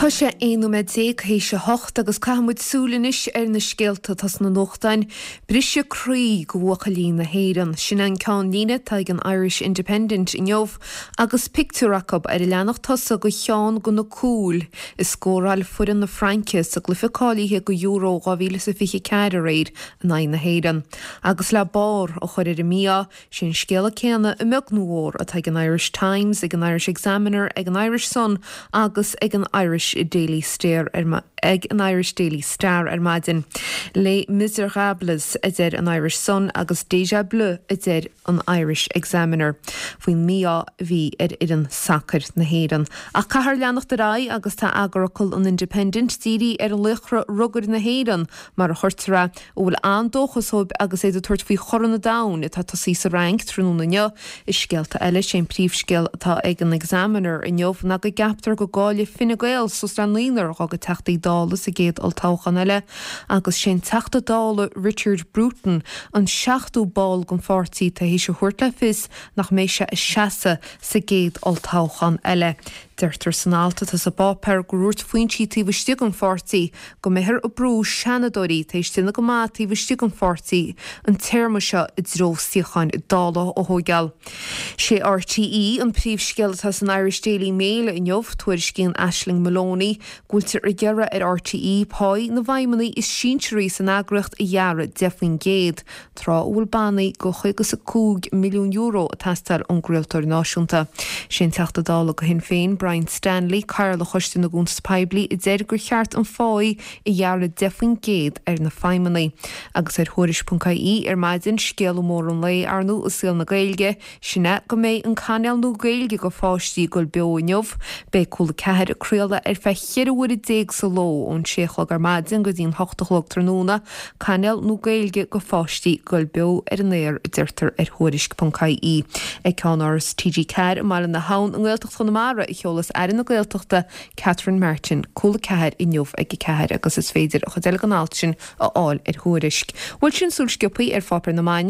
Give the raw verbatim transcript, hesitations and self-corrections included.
Tá sé aon nóiméad déag théis a hocht agus caithfidh muid súil anois ar na scéalta atá sna nuachtáin. Briseadh croí go bhuachaillí na hÉireann. Sin an ceannlíne atá ag an Irish Independent inniu agus pictiúr acu ar an leathanach tosaigh go cheann de na cúil a scóráil foireann na Fraince sa gcluiche cáilithe go Euro dhá mhíle is a fiche ceathair aréir in aghaidh na hÉireann. Agus le barr a chur ar an mí-ádh, sin scéala céanna a bheag nó a mhór atá ag an Irish Times, ag an Irish Examiner, ag an Irish Sun agus ag an Irish Daily Star ar ag an Irish Daily Star ar maidin. Les Misérables a deir an Irish Sun agus Déjà Bleu a deir an Irish Examiner. Faoin mí-ádh a bhí ar fhoireann sacair na hÉireann. Ach caithfear leanacht ar aghaidh agus tá eagarfhocal an Independent dírithe ar laochra rugair na hÉireann mar a chuirtear é, a bhfuil an-dóchas dóibh agus iad ag tabhairt faoi Chorn an Domhain atá tosaithe sa Fhrainc tráthnóna inniu. I scéalta eile sé an príomhscéal atá ag an Examiner inniu ná go gceaptar go gcaillfidh Fine Gael suas le naonúr dá gcuid Teachtaí Dála sa gcéad olltoghchán eile agus sé'n Teachta Dála Richard Bruton an seachtú ball den pháirtí tar éis a thabhairt le fios nach mbeidh sé ag seasamh sa gcéad olltoghchán eile. Deirtear san alt atá sa bpáipéar gur dhúirt foinsí taobh istigh den pháirtí go mbeifear ag brú seanadóirí tar éis déanamh go maith taobh istigh den pháirtí an téarma seo i dtreo suíocháin Dála a thógáil. Sé RTÉ an príomhscéal atá san Irish Daily Mail inniu, tuairiscíonn Aisling Moloney go bhfuiltear ag iarraidh ar RTÉ páí na bhfeidhmeannaigh is sinsearaí san eagraíocht a ghearradh deich faoin gcéad, tráth a bhfuil bannaí go chaoga is a cúig milliún euro ag teastáil ón gcraoltóir náisiúnta. Sé an Teachta Dála do Shinn Féin, Brian Stanley, Cathaoirleach Choiste na gCuntas Poiblí, a deir gur cheart an pháí a ghearradh deich faoin gcéad ar na feidhmeannaigh. Agus ar Thuairisc.ie ar maidin, scéala mór an lae, ar ndóigh, i saol na Gaeilge, sin é go mbeidh an cainéal nua Gaeilge do pháistí ag dul beo inniu. Beidh Cúla Ceathair ag craoladh ar feadh cheithre huaire déag sa ló, ón sé a chlog ar maidin go dtí an hocht a chlog tráthnóna, cainéal nua Gaeilge do pháistí ag dul beo ar an aer, a deirtear ar Thuairisc.ie. Ag ceannáras TG Ceathair i mBaile na hAbhann i nGaeltacht Chonamara a sheolas Aire na Gaeltachta Catherine Martin Cúla Ceathair inniu ag a ceathair agus is féidir an chuid eile den alt sin a fháil ar Thuairisc. Bhuel sin súil sciobtha ar pháipéir na maidine.